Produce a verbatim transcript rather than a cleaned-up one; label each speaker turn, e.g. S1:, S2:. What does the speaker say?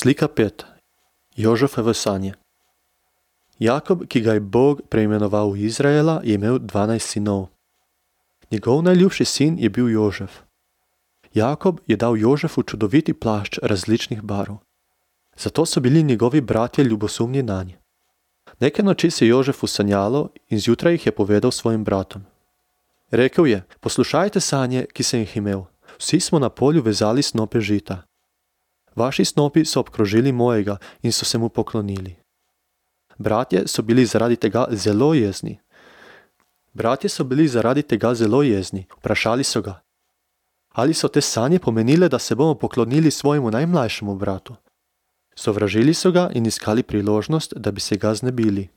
S1: Slika pet. Jožefove sanje. Jakob, ki ga je Bog preimenoval v Izraela, je imel dvanajst sinov. Njegov najljubši sin je bil Jožef. Jakob je dal Jožefu čudoviti plašč različnih barv. Zato so bili njegovi bratje ljubosumni nanj. Neke noči se Jožefu sanjalo in zjutraj jih je povedal svojim bratom. Rekel je, poslušajte sanje, ki sem jih imel. Vsi smo na polju vezali snope žita. Vaši snopi so obkrožili mojega in so se mu poklonili. Bratje so bili zaradi tega zelo jezni. Bratje so bili zaradi tega zelo jezni. Vprašali so ga. Ali so te sanje pomenile, da se bomo poklonili svojemu najmlajšemu bratu? Sovražili so ga in iskali priložnost, da bi se ga znebili.